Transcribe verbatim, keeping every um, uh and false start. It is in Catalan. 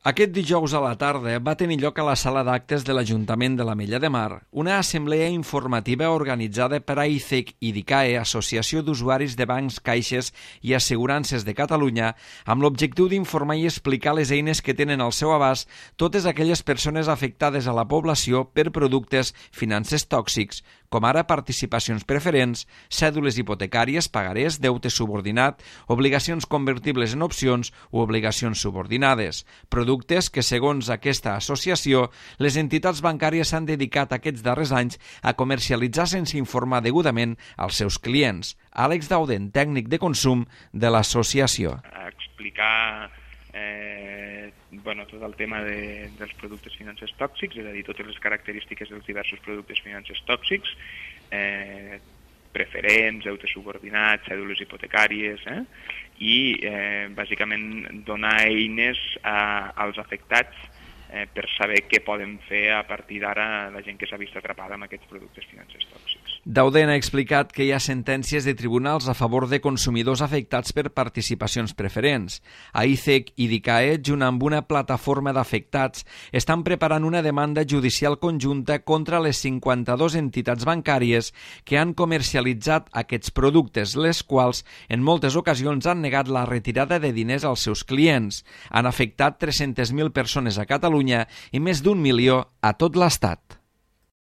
Aquest dijous a la tarda va tenir lloc a la sala d'actes de l'Ajuntament de l'Ametlla de Mar una assemblea informativa organitzada per AICEC i DICAE, Associació d'Usuaris de Bancs, Caixes i Assegurances de Catalunya, amb l'objectiu d'informar i explicar les eines que tenen al seu abast totes aquelles persones afectades a la població per productes financers tòxics, com ara participacions preferents, cèdules hipotecàries, pagarés, deute subordinat, obligacions convertibles en opcions o obligacions subordinades, productes que, segons aquesta associació, les entitats bancàries s'han dedicat aquests darrers anys a comercialitzar sense informar degudament als seus clients. Àlex Dauden, tècnic de consum de l'associació. A explicar eh, bueno, tot el tema de, dels productes financers tòxics, és a dir, totes les característiques dels diversos productes financers tòxics, eh, preferents, deutes subordinats, cèdules hipotecàries, eh? i eh, bàsicament donar eines a, als afectats eh, per saber què poden fer a partir d'ara la gent que s'ha vist atrapada amb aquests productes financers tòxics. Dauden ha explicat que hi ha sentències de tribunals a favor de consumidors afectats per participacions preferents. AICEC i DICAE, junt amb una plataforma d'afectats, estan preparant una demanda judicial conjunta contra les cinquanta-dues entitats bancàries que han comercialitzat aquests productes, les quals en moltes ocasions han negat la retirada de diners als seus clients. Han afectat tres-centes mil persones a Catalunya i més d'un milió a tot l'Estat.